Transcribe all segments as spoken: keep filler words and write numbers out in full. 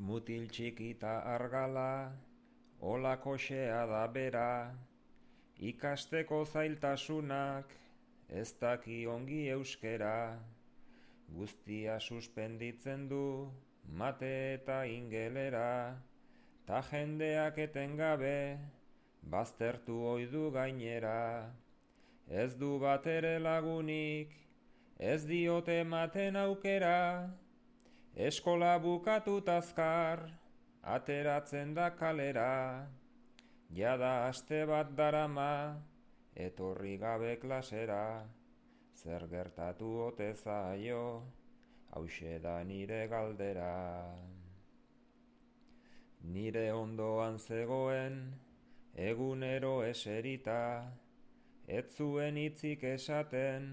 Mutil txikita argala, olako xea da bera, ikasteko zailtasunak, ez daki ongi euskera, guztia suspenditzen du, mate eta ingelera, ta jendeak etengabe, baztertu oidu gainera, ez du batere lagunik, ez diote ematen aukera, eskola bukatut azkar, ateratzen da kalera, jada aste bat darama, etorri gabe klasera, zer gertatu ote zaio, hauxe da nire galdera. Nire ondoan zegoen, egunero eserita, ez zuen hitzik esaten,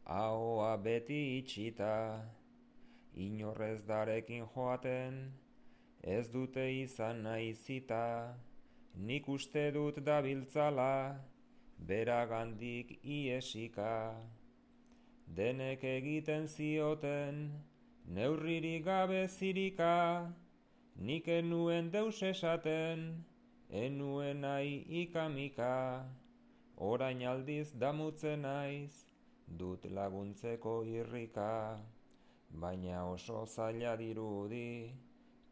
ahoa beti itxita, inorrez darekin joaten, ez dute izan nahi zita, nik uste dut dabiltzala, beragandik iesika. Denek egiten zioten, neurririk gabe zirika, nik enuen deus esaten, enuen nahi ikamika, orain aldiz damutzen naiz, dut laguntzeko irrika, baina oso zaila dirudi,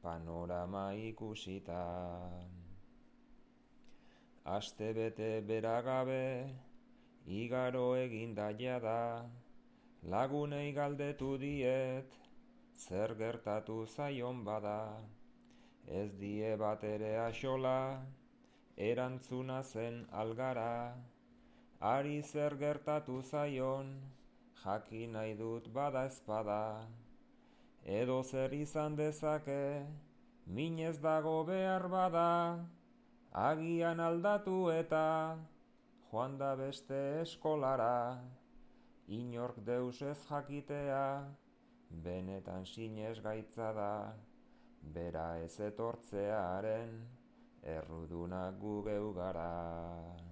panorama ikusita. Aste bete beragabe, igaro eginda jada, lagunei galdetu diet, zer gertatu zaion bada, ez die batere axola, erantzuna zen algara, ari zer gertatu zaion, jakin nahi dut bada ezpada, edo zer izan dezake, minez dago behar bada, agian aldatu eta, joan da beste eskolara, inork deus ez jakitea, benetan sinez gaitza da, bera ez etortzearen, errudunak gu geu gara.